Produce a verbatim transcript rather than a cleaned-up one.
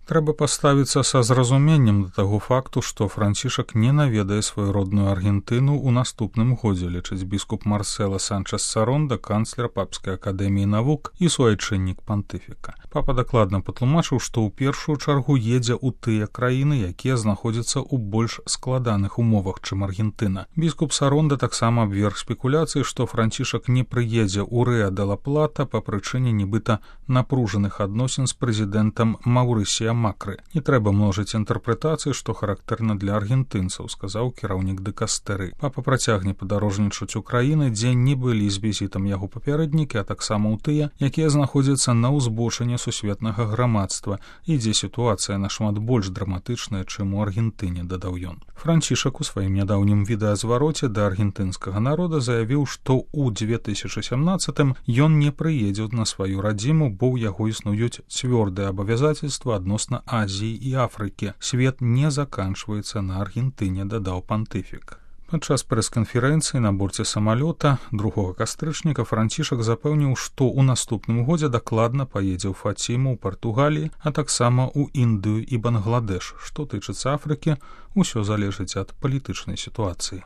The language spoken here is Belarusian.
Трэба паставіцца са зразуменнем да таго факту, што Францішак не наведае сваю родную Аргентыну ў наступным годзе, лічыць біскуп Марсела Санчес-Саронда, канцлер Папскай акадэміі навук і суайчыннік пантыфіка. Папа дакладна патлумачыў, што ў першую чаргу едзе ў тыя краіны, якія знаходзяцца ў больш складаных умовах, чым Аргентына. Біскуп Саронда таксама абверг спекуляцыі, што Францішак не прыедзе ў Рэа-де-ла-Плата па прычыне нібыта напружаных адносін з прэзідэнтам Маўрысія Макры. Не трэба множыць інтэрпрэтацыі, што характэрна для аргентынцаў, сказаў кіраўнік дыкастэры. Папа працягне падарожнічаць у краіны, дзе не былі з візітам яго папярэднікі, а таксама ў тыя, якія знаходзяцца на ўзбочыне сусветнага грамадства і дзе сітуацыя нашмат больш драматычная, чым у Аргентыне, дадаў ён. Францішак у сваім нядаўнім відэазвароце да аргентынскага народа заявіў, што ў дзве тысячы сямнаццатым ён не прыедзе на сваю радзіму, бо ў яго існуюць цвёрдыя абавязацельства адносна Азіі і Афрыкі. Свет не заканчваецца на Аргентыне, дадаў пантыфік. Падчас прэс-канферэнцыі на борце самалёта другога кастрычніка Францішак запэўніў, што ў наступным годзе дакладна паедзе ў Фаціму ў Партугаліі, а таксама ў Індыю і Бангладэш. Што тычыцца Афрыкі, усё залежыць ад палітычнай сітуацыі.